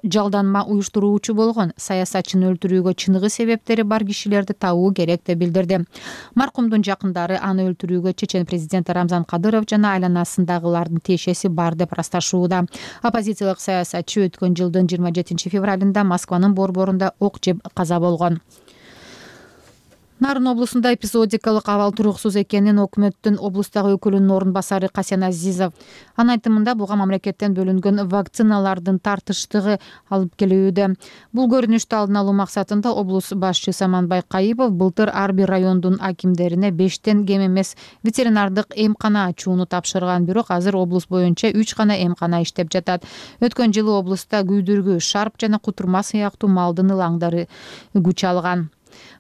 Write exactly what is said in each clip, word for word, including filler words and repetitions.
жалданма уюштуруучу болгон, саясатчыны өлтүрүүгө чыныгы себептери бар кишилерди табуу керек деп билдирди. Маркумдун жакындары аны өлтүрүүгө чечен президент Рамзан Кадыров жана айланасындагылардын тиешеси бар деп ырасташууда. Оппозициялык саясатчы өткөн жылдын жыйырма жетинчи февралында Москванын борборунда ок жеп каза болгон. Нарын облусунда эпизодикалык абал туруксуз экенин өкмөттүн облустагы өкүлүнүн орун басары Касен Азизов. Анын айтымында буга мамлекеттен бөлүнгөн вакциналардын тартыштыгы алып келүүдө. Бул көрүнүштү алдын алуу максатында облус башчы Саманбай Кайыпов былтыр ар бир райондун акимдерине бештен кем эмес ветеринардык эмкана ачууну тапшырган, бирок азыр облус боюнча үч гана эмкана иштеп жатат. Өткөн жылы облуста күйдүргү, шарп жана кутурма сыяктуу малдын ылаңдары күч алган.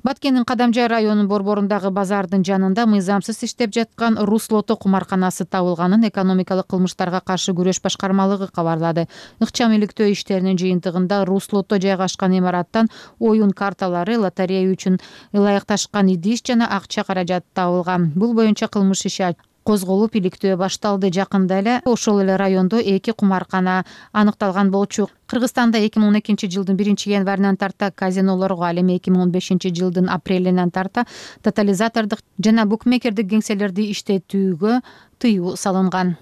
Баткендин Кадамжай районунун борборундагы базардын жанында мыйзамсыз иштеп жаткан Руслото кумарканасы табылганын экономикалык кылмыштарга каршы күрөш башкармалыгы кабарлады. Ыкчам иликтөө иштеринин жыйынтыгында Руслото жайгашкан имараттан оюн карталары, лотерея үчүн ылайыкташкан идиш жана акча каражаты табылган. Бул боюнча кылмыш иши козголуп, иликтөө башталды. Жакында эле ошол эле райондо эки кумаркана аныкталган болчу. Кыргызстанда эки миң он экинчи жылдын биринчи январынан тарта казинолорго, ал эми эки миң он бешинчи жылдын апрелинен тарта тотализатордук жана букмекердик кеңселерди иштетүүгө тыюу салынган.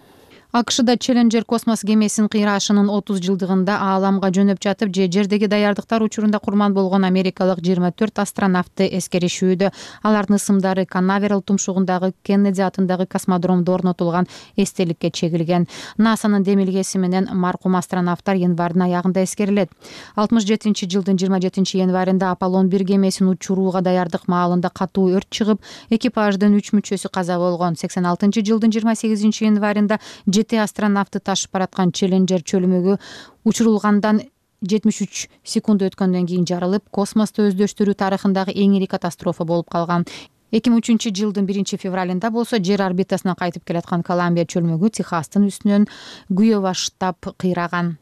АКШда Челленджер космос кемесинин кыйрашынын отуз жылдыгында ааламга жөнөп жатып же жердеги даярдыктар учурунда курман болгон америкалык жыйырма төрт астронавтты эскеришүүдө. Алардын ысымдары Канаверал тумшугундагы Кеннеди атындагы космодромдо орнотулган эстеликке чегилген. НАСАнын демилгеси менен маркум астронавттар январдын аягында эскерилет. алтымыш жетинчи жылдын жыйырма жетинчи январында Аполлон бир кемесин учурууга даярдык маалында катуу өрт чыгып, экипаждын үч мүчөсү каза болгон. сексен алтынчы жылдын жыйырма сегизинчи январында жети астронавтты ташып бараткан Челленджер чөлмөгү учурулгандан жетимиш үч секунд өткөндөн кийин жарылып, космосту өздөштүрүү тарыхындагы эң ири катастрофа болуп калган. эки миң үчүнчү жылдын биринчи февралында болсо жер орбитасынан кайтып келаткан Колумбия чөлмөгү Техастын үстүнөн күйө баштап кыйраган.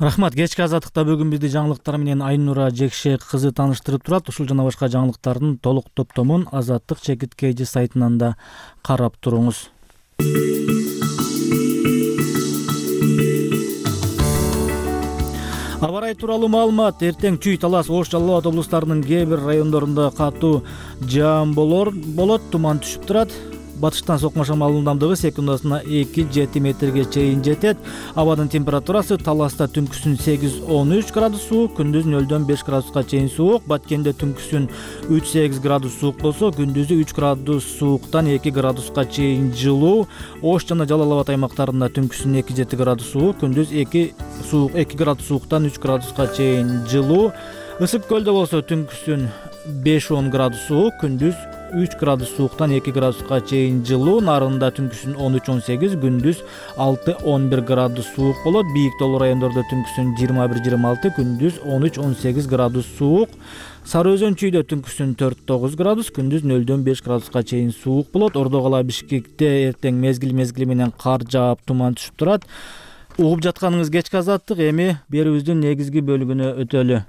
Рахмат. Кечки азаттыкта бүгүн бизди жаңылыктар менен Айнура Жекше кызы таныштырып турат. Ушул жана башка жаңылыктардын толук топтомун Азаттык чекит kg сайтынан да карап туруңуз. Аба ырайы тууралуу маалымат. Эртең Чүй, Талас, Ош, Жалал Абад облустарынын кээ бир райондорунда катуу жаам болор болот, туман түшүп турат. Батыштан сокмо шамал ылдамдыгы секундасына эки жети метрге чейин жетет. Абадын температурасы Таласта түнкүсүн сегиз он үч градус суук, күндүз нөлдөн беш градуска чейин суук. Баткенде түнкүсүн үч сегиз градус суук болсо, күндүзү үч градус сууктан эки градуска чейин жылуу. Ош жана Жалал Абад аймактарында түнкүсүн эки жети градус суук, күндүз эки суук эки градус сууктан үч градуска чейин жылуу. Ысык көлдө болсо түнкүсүн беш он градус суук, күндүз үч градус сууктан эки градуска чейин жылуу. Нарында түнкүсүн он үч он сегиз, күндүз алты он бир градус суук болот. Бийик тоолуу райондордо түнкүсүн жыйырма бир жыйырма алты, күндүз он үч он сегиз градус суук. Сары Өзөн Чүйдө түнкүсүн төрт тогуз градус, күндүз нөлдөн беш градуска чейин суук болот. Ордо кала Бишкекте эртең мезгил мезгили менен кар жаап, туман түшүп турат. Угуп жатканыңыз кечки азаттык. Эми берүүбүздүн негизги бөлүгүнө өтөлү.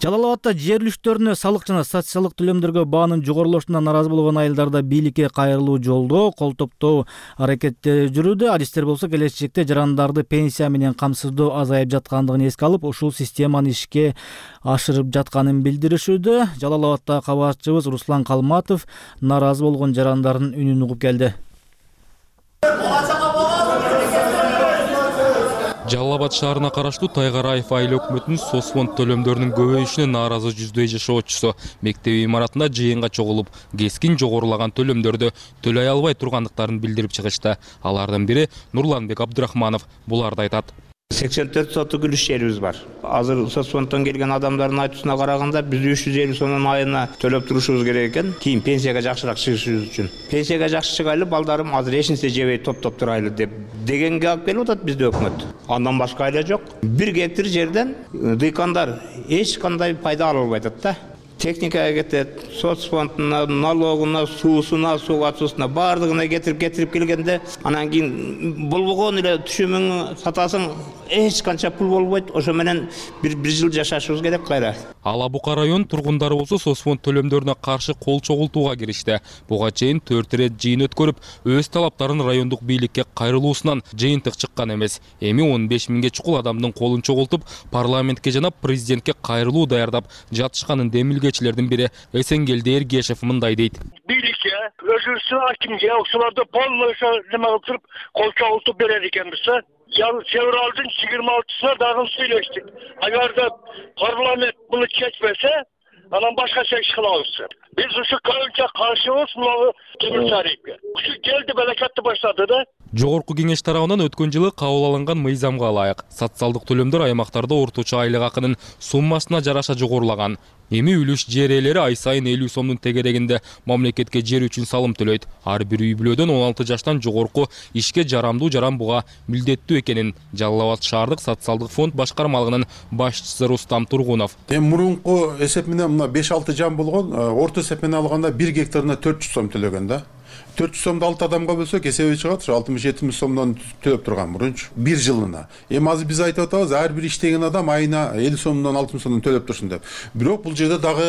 Жалал Абадта жер үлүштөрүнө салык жана социалдык төлөмдөргө баанын жогорулошунан наразы болгон айылдарда бийликке кайрылуу жолдоо, кол топтоо аракеттери жүрүүдө. Адистер болсо келечекте жарандарды пенсия менен камсыздоо азайып жаткандыгын эске алып, ушул системаны ишке ашырып жатканын билдиришүүдө. Жалал Абадта кабарчыбыз Руслан Калматов наразы болгон жарандардын үнүн угуп келди. Жалал Абад шаарына караштуу Тайгараев айыл өкмөтүнүн соцфонд төлөмдөрүнүн көбөйүшүнө нааразы жүздөй жашоочусу мектеп имаратында жыйынга чогулуп, кескин жогорулаган төлөмдөрдү төлөй албай тургандыктарын билдирип чыгышты. Алардын бири Нурланбек Абдырахманов буларды айтат. сексен төрт соттук үлүш жерибиз бар. Азыр соцфонддон келген адамдардын айтуусуна караганда биз үч жүз элүү сомдон айына төлөп турушубуз керек экен, кийин пенсияга жакшыраак чыгышыбыз үчүн. Пенсияга жакшы чыгайлы, балдарым азыр эч нерсе жебей топтоп турайлы деп дегенге алып келип атат бизде өкмөт. Андан башка айла жок. бир гектар жерден дыйкандар эч кандай пайда ала албай атат да. Техникага кетет, соцфондуна, налогуна, суусуна, суу атуусуна баардыгына кетирип кетирип келгенде, анан кийин болбогон эле түшүмүң сатасың, эч канча пул болбойт. Ошо менен бир бир жыл жашашыбыз керек кайра. Ала Бука район тургундары болсо соцфонд төлөмдөрүнө каршы кол чогултууга киришти. Буга чейин төрт ирет жыйын өткөрүп, өз талаптарын райондук бийликке кайрылуусунан жыйынтык чыккан эмес. Эми он беш миңге чукул адамдын колун чогултуп, парламентке жана президентке кайрылуу даярдап жатышканын демилгечилердин бири Эсенгелди Эргешев мындай дейт. Бийликке, өзүбүздүн акимге, ошолорду полный неме кылып туруп, кол чогултуп берер экенбиз. Февралдын жыйырма алтысына дагы сүйлөштүк. Агарда парламент буну чечпесе, анан башка чечиш кылабыз. Биз ушу көбүнчө каршыбыз мына комиссарийге. Ушу келди, белекетти баштады да. Жогорку кеңеш тарабынан өткөн жылы кабыл алынган мыйзамга ылайык социалдык төлөмдөр аймактарда орточо айлык акынын суммасына жараша жогорулаган. Эми үлүш жер ээлери ай сайын элүү сомдун тегерегинде мамлекетке жер үчүн салым төлөйт. Ар бир үй бүлөдөн он алты жаштан жогорку ишке жарамдуу жаран буга милдеттүү экенин Жалал Абад шаардык социалдык фонд башкармалыгынын башчысы Рустам Тургунов. Эми мурунку эсеп менен мына беш алты жан болгон, орто эсеп менен алганда бир гектарына төрт жүз сом төлөгөн да. төрт жүз сомду алты адамга бөлсөк эсеби чыгат, ушу алтымыш жетимиш сомдон төлөп турган мурунчу бир жылына. Эми азыр биз айтып атабыз, ар бир иштеген адам айына элүү сомдон алтымыш сомдон төлөп турсун деп. Бирок бул жерде дагы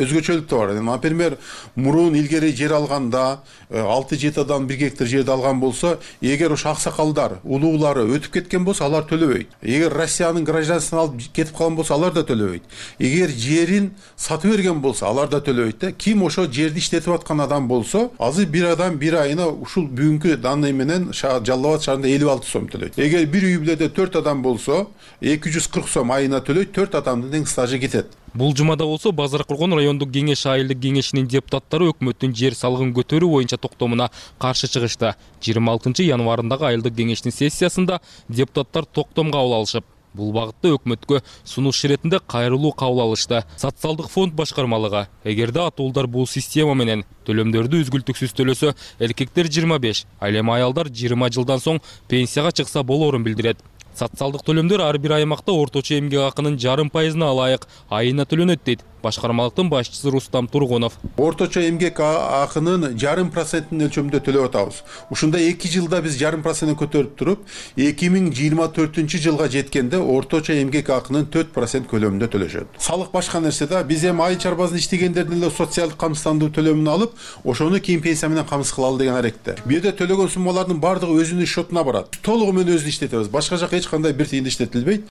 өзгөчөлүк да бар. Например, мурун илгери жер алганда алты жети адам бир гектар жерди алган болсо, эгер ошо аксакалдар, улуулары өтүп кеткен болсо, алар төлөбөйт. Эгер Россиянын гражданствосун алып кетип калган болсо, алар да төлөбөйт. Эгер жерин сатып берген болсо, алар да төлөбөйт. Ким ошо жерди иштетип аткан адам болсо, азыр бир адам бир айына ушул бүгүнкү данный менен Жалал Абад шаарында элүү алты сом төлөйт. Эгер бир үй бүлөдө төрт адам болсо, эки жүз кырк сом айына төлөйт, төрт адамдын тең стажы кетет. Бул жумада болсо Базар Кургон райондук кеңеш айылдык кеңешинин депутаттары өкмөттүн жер салыгын көтөрүү боюнча токтомуна каршы чыгышты. жыйырма алтынчы январындагы айылдык кеңештин сессиясында депутаттар токтом кабыл алышып, бул багытта өкмөткө сунуш иретинде кайрылуу кабыл алышты. Социалдык фонд башкармалыгы эгерде атуулдар бул система менен төлөмдөрдү үзгүлтүксүз төлөсө, эркектер жыйырма беш, ал эми аялдар жыйырма жылдан соң пенсияга чыкса болоорун билдирет. Социалдык төлөмдөр ар бир аймакта орточо эмгек акынын жарым пайызына ылайык айына төлөнөт дейт башкармалыктын башчысы Рустам Тургунов. Орточо эмгек акынын жарым процентин өлчөмүндө төлөп атабыз. Ушунда эки жылда биз жарым проценттен көтөрүп туруп, эки миң жыйырма төртүнчү жылга жеткенде орточо эмгек акынын төрт процент көлөмүндө төлөшөт. Салык башка нерсе да, биз эми айыл чарбасында иштегендердин эле социалдык камсыздандыруу төлөмүн алып, ошону кийин пенсия менен камсыз кылалы деген аракетте. Бу жерде төлөгөн суммалардын бардыгы өзүнүн счетуна барат. Толугу менен өзү иштетебиз. Башка жака эч кандай бир тыйын иштетилбейт.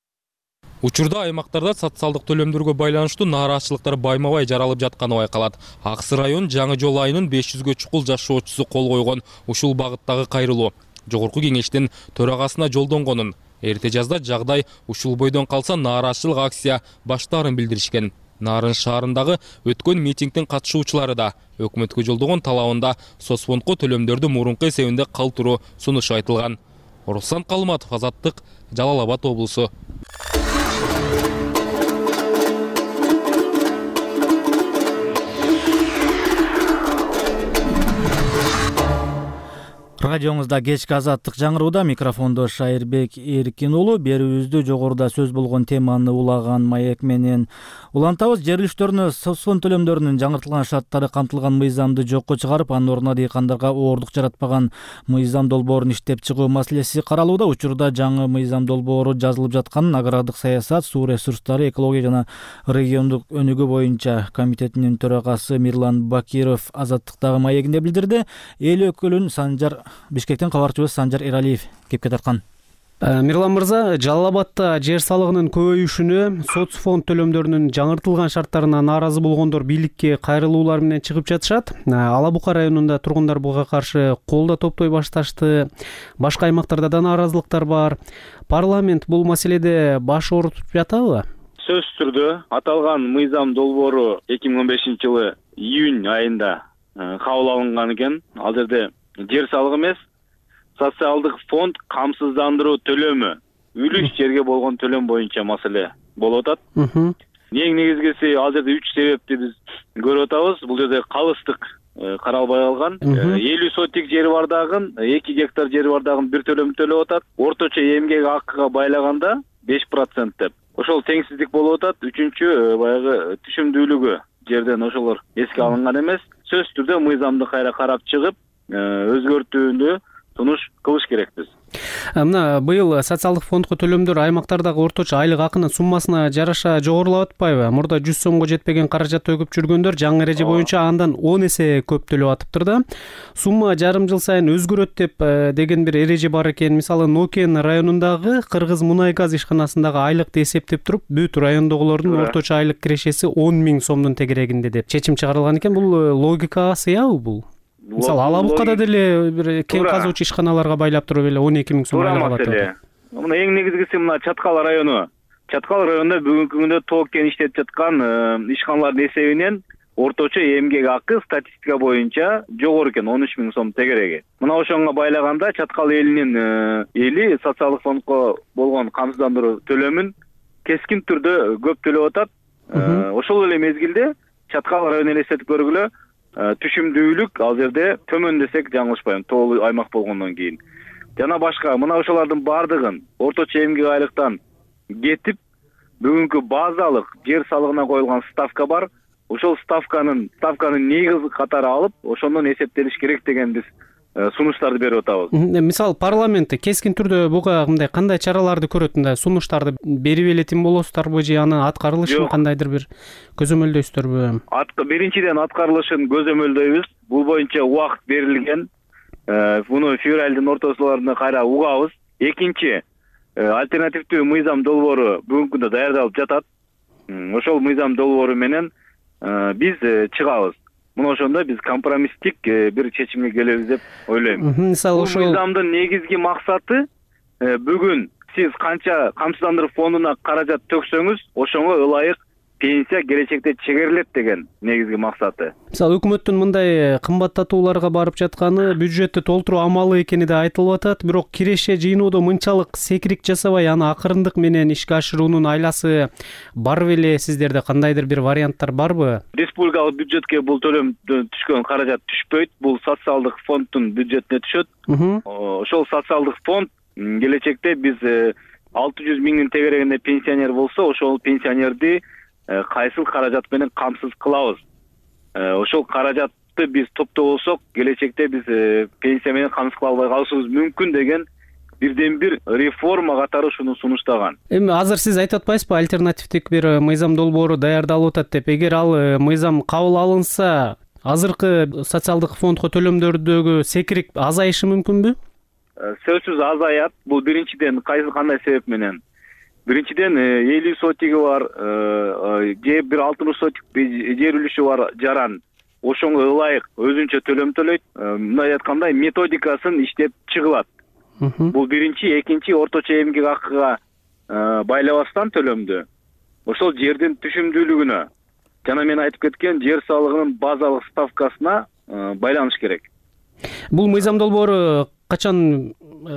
Учурда аймактарда социалдык төлөмдөргө байланыштуу нааразычылыктар байма-бай жаралып жатканы байкалат. Аксы район Жаңы Жол айынын беш жүзгө чукул жашоочусу кол койгон ушул багыттагы кайрылуу жогорку кеңештин төрагасына жолдонгонун, эрте жазда жагдай ушул бойдон калса нааразычылык акция баштаарын билдиришкен. Нарын шаарындагы өткөн митингдин катышуучулары да өкмөткө жолдогон талабында соцфондко төлөмдөрдү мурунку эсебинде калтыруу сунушу айтылган. Руслан Калматов, Азаттык, Жалал Абад облусу. Радиоңузда кечки Азаттык жаңырууда, микрофондо Шайырбек Эркин уулу. Берүүбүздө жогоруда сөз болгон теманы улаган маек менен улантабыз. Жер илиштөрүнө соцфонд төлөмдөрүнүн жаңыртылган шарттары камтылган мыйзамды жокко чыгарып, анын ордуна дыйкандарга оордук жаратпаган мыйзам долбоорун иштеп чыгуу маселеси каралууда. Учурда жаңы мыйзам долбоору жазылып жатканын Агрардык саясат, суу ресурстары, экология жана региондук өнүгүү боюнча комитетинин төрагасы Мирлан Бакиров Азаттыктагы маегинде билдирди. Эл өкүлүн Санжар Бишкектен кабарчыбыз Санжар Эралиев кепке тарткан. Мирлан мырза, Жалал Абадта жер салыгынын көбөйүшүнө, соцфонд төлөмдөрүнүн жаңыртылган шарттарына нааразы болгондор бийликке кайрылуулар менен чыгып жатышат. Ала Бука районунда тургундар буга каршы кол да топтой башташты. Башка аймактарда да нааразылыктар бар. Парламент бул маселеде баш оорутуп жатабы? Сөзсүз түрдө аталган мыйзам долбоору эки миң он бешинчи жылы июнь айында кабыл алынган экен. Ал жерде жер салыгы эмес, социалдык фонд камсыздандыруу төлөмү, үлүш жерге болгон төлөм боюнча маселе болуп атат. Эң негизгиси ал жерде үч себепти биз көрүп атабыз. Бул жерде калыстык каралбай калган. элүү сотик жери бар дагы, эки гектар жери бар дагы бир төлөм төлөп атат. Орточо эмгек акыга байлаганда беш процент деп. Ошол теңсиздик болуп атат. Үчүнчү баягы түшүмдүүлүгү жерден ошолор эске алынган эмес. Сөзсүз түрдө мыйзамды кайра карап чыгып, өзгөртүүнү сунуш кылыш керекпиз. Мына быйыл социалдык фондко төлөмдөр аймактардагы орточо айлык акынын суммасына жараша жогорулап атпайбы? Мурда жүз сомго жетпеген каражат төгүп жүргөндөр жаңы эреже боюнча андан он эсе көп төлөп атыптыр да. Сумма жарым жыл сайын өзгөрөт деп деген бир эреже бар экен. Мисалы Нокен районундагы Кыргыз мунай газ ишканасындагы айлыкты эсептеп туруп, бүт райондогулордун орточо айлык кирешеси он миң сомдун тегерегинде деп чечим чыгарылган экен. Бул логикага сыябы бул? Мисалы Ала Букада деле бир кен казуучу ишканаларга байлап туруп эле он эки миң сом айлык алат деп. Мына эң негизгиси мына Чаткал району. Чаткал районунда бүгүнкү күндө тоо кен иштетип жаткан ишканалардын эсебинен орточо эмгек акы статистика боюнча жогору экен, он үч миң сом тегереги. Мына ошонго байлаганда Чаткал элинин эли социалдык фондко болгон камсыздандыруу төлөмүн кескин түрдө көп төлөп атат. Ошол эле мезгилде Чаткал районун элестетип көргүлө, түшүмдүүлүк ал жерде төмөн десек жаңылышпайм, тоолуу аймак болгондон кийин. Жана башка мына ошолордун баардыгын орточо эмгек айлыктан кетип, бүгүнкү базалык жер салыгына коюлган ставка бар. Ошол ставканын ставканы негиз катары алып, ошондон эсептелиш керек деген биз сунуштарды берип атабыз. Мисалы парламентте кескин түрдө буга мындай кандай чараларды көрөт, мындай сунуштарды берип элетин болосуздарбы же аны аткарылышын кандайдыр бир көзөмөлдөйсүздөрбү? Биринчиден аткарылышын көзөмөлдөйбүз. Бул боюнча убакыт берилген. Буну февралдын ортосуларында кайра угабыз. Экинчи, альтернативдүү мыйзам долбоору бүгүнкү күндө даярдалып жатат. Ошол мыйзам долбоору менен биз чыгабыз. Мына ошондо биз компромисстик бир чечимге келебиз деп ойлойм. Мисалы ошол мыйзамдын негизги максаты бүгүн сиз канча камсыздандыруу фондуна каражат төксөңүз, ошого ылайык пенсия келечекте чегерилет деген негизги максаты. Мисалы өкмөттүн мындай кымбаттатууларга барып жатканы бюджетти толтуруу амалы экени да айтылып атат, бирок киреше жыйноодо мынчалык секирик жасабай аны акырындык менен ишке ашыруунун айласы бар беле? Сиздерде кандайдыр бир варианттар барбы? Республикалык бюджетке бул төлөм түшкөн каражат түшпөйт, бул социалдык фонддун бюджетине түшөт. Ошол социалдык фонд келечекте биз алты жүз миңдин тегерегинде пенсионер болсо, ошол пенсионерди кайсыл каражат менен камсыз кылабыз. Ошол каражатты биз топтогосок, келечекте биз пенсия менен камсыз кыла албай калышыбыз мүмкүн деген бирден бир реформа катары ушуну сунуштаган. Эми азыр сиз айтып атпайсызбы, альтернативдик бир мыйзам долбоору даярдалып атат деп? Эгер ал мыйзам кабыл алынса, азыркы социалдык фондко төлөмдөрдөгү секирик азайышы мүмкүнбү? Сөзсүз азаят. Бул биринчиден кайсы кандай себеп менен? Биринчиден элүү сотиги бар, же бир алтымыш сотик жер үлүшү бар жаран. Ошонго ылайык өзүнчө төлөм төлөйт. Мындай айткандай методикасын иштеп чыгылат. Бул биринчи, экинчи орточо эмгек акыга байлабастан төлөмдү ошол жердин түшүмдүүлүгүнө жана мен айтып кеткен жер салыгынын базалык ставкасына байланыш керек. Бул мыйзам долбоору качан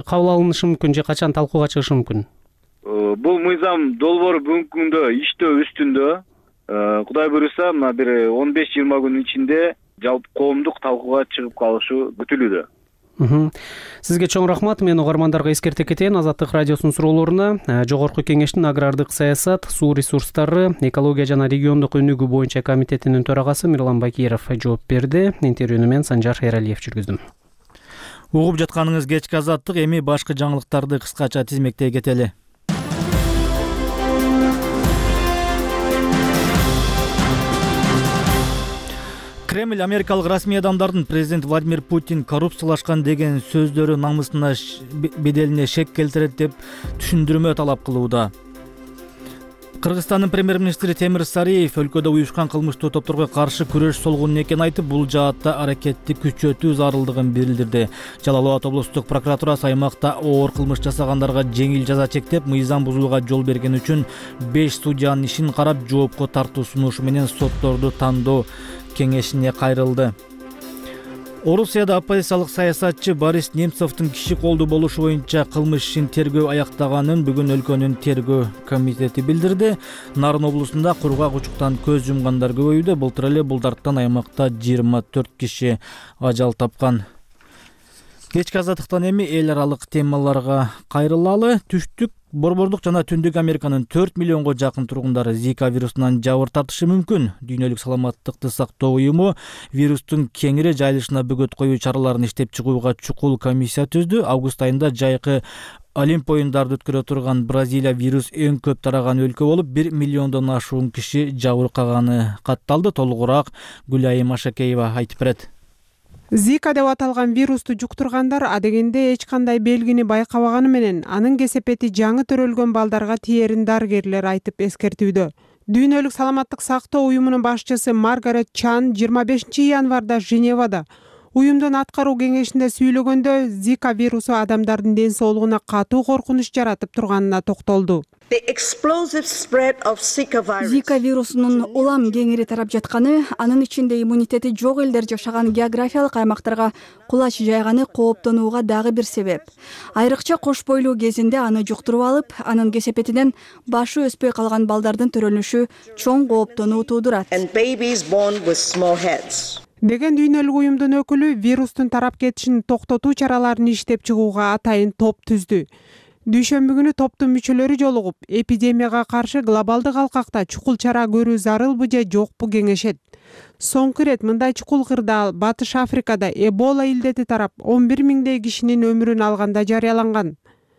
кабыл алынышы мүмкүн же качан талкууга чыгышы мүмкүн? Бул мыйзам долбоору бүгүнкү күндө иштөө үстүндө. Кудай буюрса, мына бир он беш жыйырма күн ичинде жалпы коомдук талкууга чыгып калышы күтүлүүдө. Сизге чоң рахмат. Мен угармандарга эскерте кетейин. Азаттык радиосунун суроолоруна Жогорку Кеңештин агрардык саясат, суу ресурстары, экология жана региондук өнүгүү боюнча комитетинин төрагасы Мирлан Бакиров жооп берди. Интервьюну мен Санжар Эралиев жүргүздүм. Угуп жатканыңыз кечки Азаттык. Эми башкы жаңылыктарды кыскача тизмектей кетели. Кремль америкалык расмий адамдардын президент Владимир Путин коррупциялашкан деген сөздөрү намысына беделине шек келтирет деп түшүндүрмө талап кылууда. Кыргызстандын премьер-министри Темир Сариев өлкөдө уюшкан кылмыштуу топторго каршы күрөш солгун экенин айтып, бул жаатта аракетти күчөтүү зарылдыгын билдирди. Жалал Абад облустук прокуратурасы аймакта оор кылмыш жасагандарга жеңил жаза чектеп, мыйзам бузууга жол берген үчүн беш судьянын ишин карап, жоопко тартуу сунушу менен сотторду тандоо кеңешине кайрылды. Орусияда оппозициялык саясатчы Борис Немцовдун киши колдуу болушу боюнча кылмыш ишин тергөө аяктаганын бүгүн өлкөнүн тергөө комитети билдирди. Нарын облусунда кургак учуктан көз жумгандар көбөйүүдө. Былтыр эле бул дарттан аймакта жыйырма төрт киши ажал тапкан. Кечки Азаттыктан эми эл аралык темаларга кайрылалы. Түштүк Борбордук жана Түндүк Американын төрт миллионго жакын тургундары Зика вирусунан жабыр тартышы мүмкүн. Дүйнөлүк саламаттыкты сактоо уюму вирустун кеңири жайылышына бөгөт коюу чараларын иштеп чыгууга чукул комиссия түздү. Август айында жайкы Олимп оюндарды өткөрө турган Бразилия вирус эң көп тараган өлкө болуп, бир миллиондон ашуун киши жабыркаганы катталды. Толугураак Гүлайым Ашакеева айтып берет. Зика деп аталган вирусту жуктургандар адегенде эч кандай белгини байкабаганы менен анын кесепети жаңы төрөлгөн балдарга тиерин дарыгерлер айтып эскертүүдө. Дүйнөлүк саламаттык сактоо уюмунун башчысы Маргарет Чан жыйырма бешинчи январда Женевада уюмдун аткаруу кеңешинде сүйлөгөндө Зика вирусу адамдардын ден соолугуна катуу коркунуч жаратып турганына токтолду. Зика вирусунун улам кеңири тарап жатканы, анын ичинде иммунитети жок элдер жашаган географиялык аймактарга кулач жайганы кооптонууга дагы бир себеп. Айрыкча кош бойлуу кезинде аны жуктуруп алып, анын кесепетинен башы өспөй калган балдардын төрөлүшү чоң кооптонуу туудурат. Деген дүйнөлүк уюмдун өкүлү вирустун тарап кетишин токтотуу чараларын иштеп чыгууга атайын топ түздү. Дүйшөмбү күнү топтун мүчөлөрү жолугуп, эпидемияга каршы глобалдык алкакта чукул чара көрүү зарылбы же жокпу кеңешет. Соңку ирет мындай чукул кырдаал Батыш Африкада Эбола илдети тарап он бир миңдей кишинин өмүрүн алганда жарыяланган.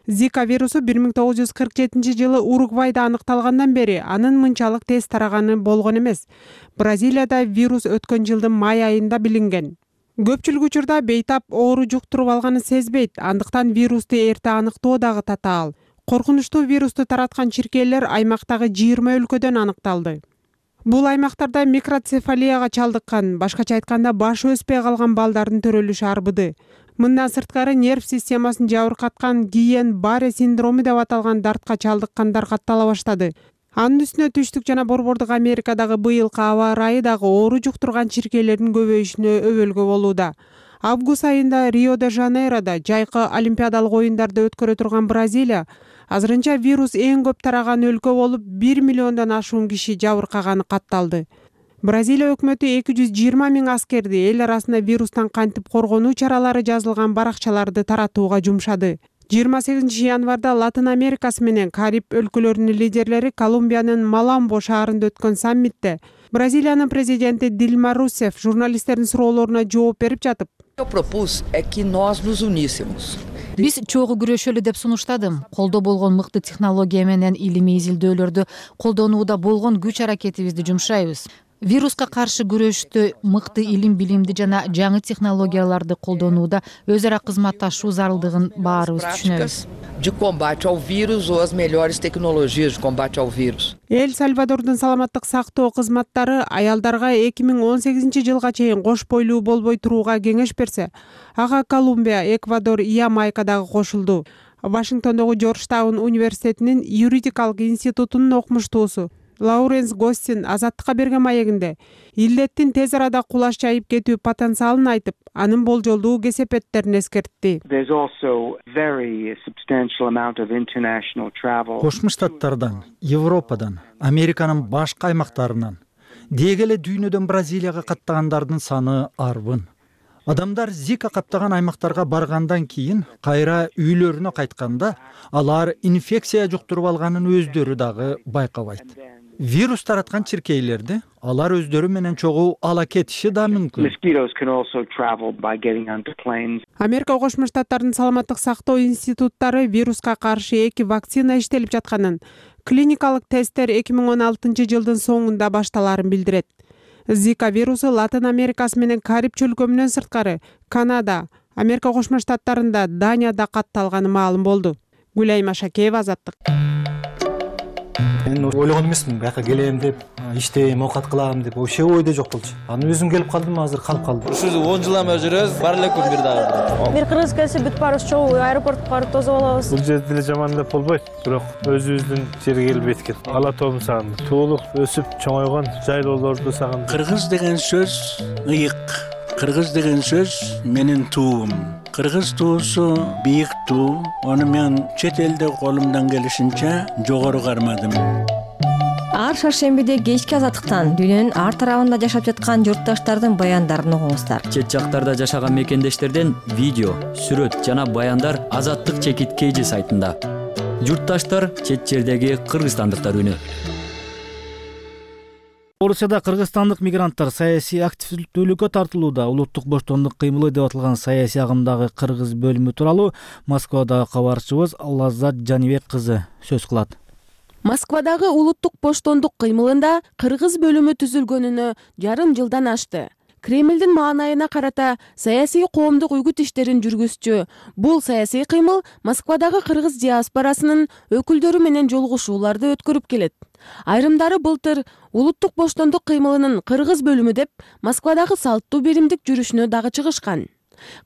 Зика вирусу бир миң тогуз жүз кырк жетинчи жылы Уругвайда аныкталгандан бери анын мынчалык тез тараганы болгон эмес. Бразилияда вирус өткөн жылдын май айында билинген. Көпчүлүк учурда бейтап оору жуктуруп алганын сезбейт, андыктан вирусту эрте аныктоо дагы татаал. Коркунучтуу вирусту тараткан чиркейлер аймактагы жыйырма өлкөдөн аныкталды. Бул аймактарда микроцефалияга чалдыккан, башкача айтканда башы өспөй калган балдардын төрөлүшү арбыды. Мындан сырткары нерв системасын жабыркаткан Гийен-Барре синдрому деп аталган дартка чалдыккандар каттала баштады. Анын үстүнө түштүк жана Борбордук Америкадагы быйылкы аба ырайы дагы оору жуктурган чиркейлердин көбөйүшүнө өбөлгө болууда. Август айында Рио-де-Жанейродо жайкы олимпиадалык оюндарды өткөрө турган Бразилия азырынча вирус эң көп тараган өлкө болуп, бир миллиондон ашуун киши жабыркаганы катталды. Бразилия өкмөтү эки жүз жыйырма миң аскерди эл арасында вирустан кантип коргонуу чаралары жазылган баракчаларды таратууга жумшады. жыйырма сегизинчи январда Латын Америкасы менен Кариб өлкөлөрүнүн лидерлери Колумбиянын Маламбо шаарында өткөн саммитте Бразилиянын президенти Дилма Русеф журналисттердин суроолоруна жооп берип жатып, биз чогуу күрөшөлү деп сунуштадым. Колдо болгон мыкты технология менен илимий изилдөөлөрдү колдонууда болгон күч аракетибизди жумшайбыз. Вируска каршы күрөштө мыкты илим билимди жана жаңы технологияларды колдонууда өз ара кызматташуу зарылдыгын баарыбыз түшүнөбүз. Эл Сальвадордун саламаттык сактоо кызматтары аялдарга эки миң он сегизинчи жылга чейин кош бойлуу болбой турууга кеңеш берсе, ага Колумбия, Эквадор, Ямайка дагы кошулду. Вашингтондогу Жоржтаун университетинин юридикалык институтунун окумуштуусу Лауренс Гостин Азаттыкка берген маегинде илдеттин тез арада кулаш жайып кетүү потенциалын айтып, анын болжолдуу кесепеттерин эскертти. Кошмо Штаттардан, Европадан, Американын башка аймактарынан, деги эле дүйнөдөн Бразилияга каттагандардын саны арбын. Адамдар Зика каптаган аймактарга баргандан кийин кайра үйлөрүнө кайтканда, алар инфекция жуктуруп алганын өздөрү дагы байкабайт. Вирус тараткан чиркейлерди алар өздөрү менен чогуу ала кетиши да мүмкүн. Америка Кошмо Штаттарынын саламаттык сактоо институттары вируска каршы эки вакцина иштелип жатканын, клиникалык тесттер эки миң он алтынчы жылдын соңунда башталарын билдирет. Зика вирусу Латын Америкасы менен Кариб чөлкөмүнөн сырткары Канада, Америка Кошмо Штаттарында, Данияда катталганы маалым болду. Гүлайым Ашакеева, Азаттык. Мен ойлогон эмесмин, бияка келем деп, иштейм, оокат кылам деп, вообще ойдо жок болчу. Аны өзүм келип калдым, азыр калып калдым. Ушул он жылдан бери жүрөбүз, бар эле күн бир дагы. Бир кыргыз келсе бүт барыбыз чогуу аэропортко барып тосуп алабыз. Бул жерде деле жаман деп болбойт, бирок өзүбүздүн жерге келип эткен. Ала тоом сагындым. Туулуп, өсүп, чоңойгон жайлоолорду сагындым. Кыргыз деген сөз ыйык. Кыргыз деген сөз менин туум. Кыргыз туусу бийик туу. Аны мен чет элде колумдан келишинче жогору кармадым. Ар шаршембиде кечки Азаттыктан дүйнөнүн ар тарабында жашап жаткан журтташтардын баяндарын угуңуздар. Чет жактарда жашаган мекендештерден видео, сүрөт жана баяндар Азаттык чекит кейжи сайтында. Журтташтар, чет жердеги кыргызстандыктар үнү. Орусияда кыргызстандык мигранттар саясий активдүүлүккө тартылууда. Улуттук боштондук кыймылы деп аталган саясий агымдагы кыргыз бөлүмү тууралуу Москвадагы кабарчыбыз Лаззат Жанибек кызы сөз кылат. Москвадагы улуттук боштондук кыймылында кыргыз бөлүмү түзүлгөнүнө жарым жылдан ашты. Кремлдин маанайына карата саясий коомдук үгүт иштерин жүргүзчү бул саясий кыймыл Москвадагы кыргыз диаспорасынын өкүлдөрү менен жолугушууларды өткөрүп келет. Айрымдары былтыр улуттук боштондук кыймылынын кыргыз бөлүмү деп Москвадагы салттуу беримдик жүрүшүнө дагы чыгышкан.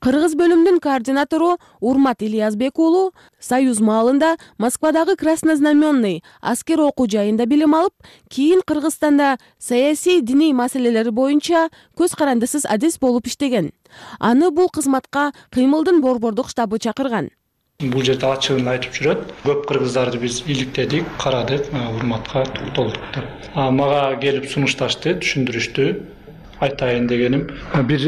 Кыргыз бөлүмдүн координатору Урмат Ильязбек уулу Союз маалында Москвадагы Краснознаменный аскер окуу жайында билим алып, кийин Кыргызстанда саясий диний маселелер боюнча көз карандысыз адис болуп иштеген. Аны бул кызматка кыймылдын борбордук штабы чакырган. Бул жерде ачыгын айтып жүрөт. Көп кыргыздарды биз иликтедик, карадык, Урматка токтолдук деп. Мага келип сунушташты, түшүндүрүштү. Айтайын дегеним, бир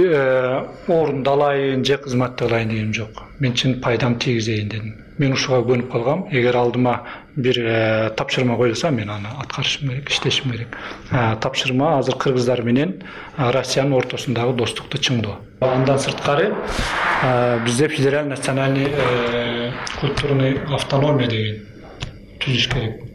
орундалайын же кызмат кылайын дегеним жок. Мен чын пайдам тийгизейин дедим. Мен ушуга көнүп калгам. Эгер алдыма бир тапшырма коюлса, мен аны аткарышым керек, иштешим керек. Тапшырма азыр кыргыздар менен Россиянын ортосундагы достукту чыңдоо. Андан сырткары бизде федераль национальный культурный автономия деген түзүш керек.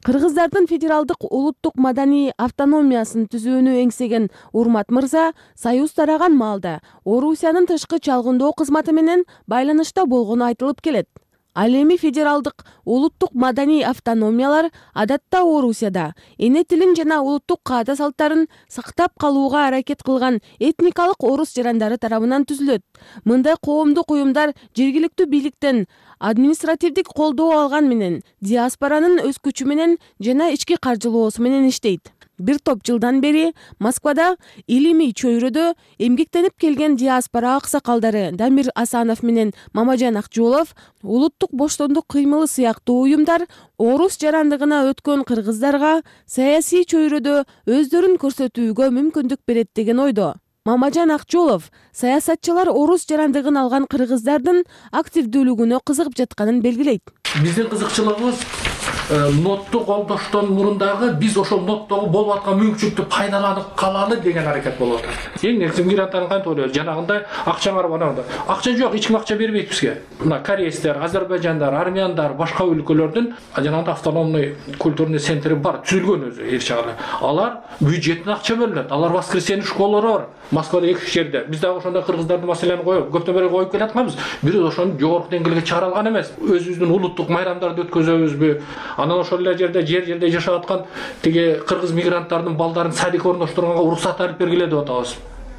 Кыргыздардын федералдык улуттук маданий автономиясын түзүүнү эңсеген Урмат мырза Союз тараган маалда Орусиянын тышкы чалгындоо кызматы менен байланышта болгону айтылып келет. Ал эми федералдык улуттук маданий автономиялар адатта Орусияда эне тилин жана улуттук каада салттарын сактап калууга аракет кылган этникалык орус жарандары тарабынан түзүлөт. Мындай коомдук уюмдар жергиликтүү бийликтен административдик колдоо алган менен диаспоранын өз күчү менен жана ички каржылоосу менен иштейт. Бир топ жылдан бери Москвада илимий чөйрөдө эмгектенип келген диаспора аксакалдары Дамир Асанов менен Мамажан Акжолов улуттук боштондук кыймылы сыяктуу уюмдар орус жарандыгына өткөн кыргыздарга саясий чөйрөдө өздөрүн көрсөтүүгө мүмкүндүк берет деген ойдо. Мамажан Акжолов саясатчылар орус жарандыгын алган кыргыздардын активдүүлүгүнө кызыгып жатканын белгилейт. Биздин кызыкчылыгыбыз нотту колдоштон мурун дагы биз ошол ноттогу болуп аткан мүмкүнчүлүктү пайдаланып калалы деген аракет болуп атат. Эң негизи мигранттардын кантип ойлойбуз? Жанагындай акчаңар бар. Акча жок, эч ким акча бербейт бизге. Мына корейстер, азербайжандар, армяндар, башка өлкөлөрдүн жанагындай автономный культурный центри бар, түзүлгөн өзү эр чагында. Алар бюджеттен акча бөлүнөт. Алар воскресенье школалары бар. Москвада эки жерде. Биз дагы ошондой кыргыздардын маселени коюп, көптөн бери коюп келатканбыз. Бирок ошону жогорку деңгээлге чыгара алган эмес. Өзүбүздүн улуттук майрамдарды өткөзөбүзбү? Анан ошол эле жерде жер жерде жашап аткан тиги кыргыз мигранттардын балдарын садикке орноштурганга уруксат алып бергиле деп атабыз.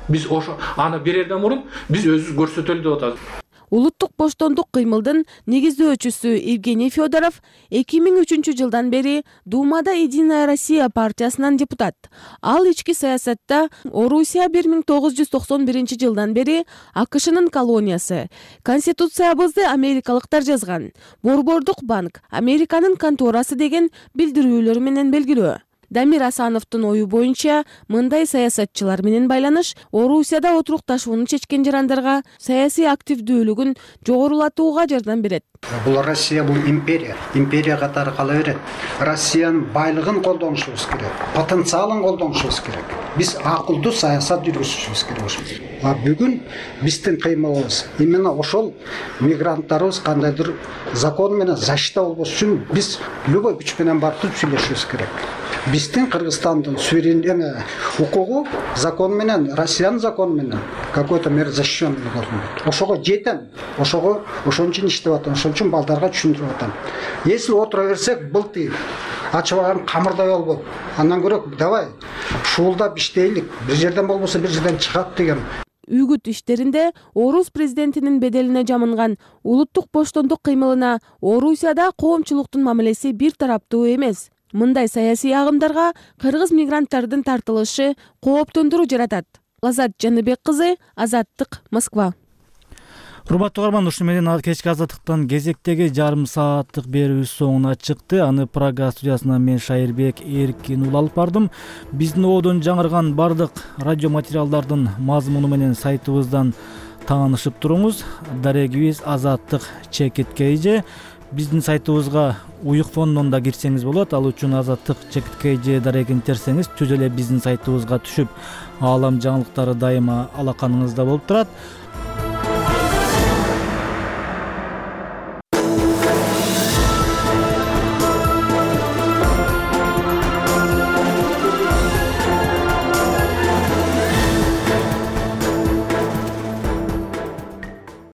Биз ошо аны берерден мурун биз өзүбүз көрсөтөлү деп атабыз. Улуттук боштондук кыймылдын негиздөөчүсү Евгений Федоров эки миң үчүнчү жылдан бери Думада Единая Россия партиясынан депутат. Ал ички саясатта Орусия бир миң тогуз жүз токсон биринчи жылдан бери АКШнын колониясы. Конституциябызды америкалыктар жазган. Борбордук банк Американын конторасы деген билдирүүлөр менен белгилүү. Дамир Асановдун ою боюнча, мындай саясатчылар менен байланыш Орусияда отурукташууну чечкен жарандарга саясий активдүүлүгүн жогорулатууга жардам берет. Бул Россия бул империя, империя катары кала берет. Россиянын байлыгын колдонушубуз керек, потенциалын колдонушубуз керек. Биз акылдуу саясат жүргүзүшүбүз керек. А бүгүн биздин кыймылыбыз именно ошол мигранттарыбыз кандайдыр закон менен защита болбош үчүн биз любой күч менен барып сүйлөшүбүз керек. Биздин Кыргызстандын суверен укугу закон менен, Россиянын закону менен какой-то мер защищенный болот. Ошого жетем, ошого ошон үчүн иштеп атам, ошон үчүн балдарга түшүндүрүп атам. Если отура берсек, былты ачыбаган камырдай болбойт. Андан көрө давай шуулдап иштейлик. Бир жерден болбосо бир жерден чыгат деген. Үгүт иштеринде орус президентинин беделине жамынган улуттук боштондук кыймылына Орусияда коомчулуктун мамилеси бир тараптуу эмес. Мындай саясий агымдарга кыргыз мигранттардын тартылышы кооптондуруу жаратат. Лаззат Жаныбек кызы, Азаттык, Москва. Урматтуу угарман, ушу менен кечки Азаттыктан кезектеги жарым сааттык берүүбүз соңуна чыкты. Аны Прага студиясынан мен Шайырбек Эркин ул алып бардым. Биздин оодон жаңырган бардык радио материалдардын мазмуну менен сайтыбыздан таанышып туруңуз. Дарегибиз Азаттык чекит кей же. биздин сайтыбызга уюк фондон да кирсеңиз болот. Ал үчүн азаттык чекиткей же дарегин терсеңиз түз эле биздин сайтыбызга түшүп, аалам жаңылыктары дайыма алаканыңызда болуп турат.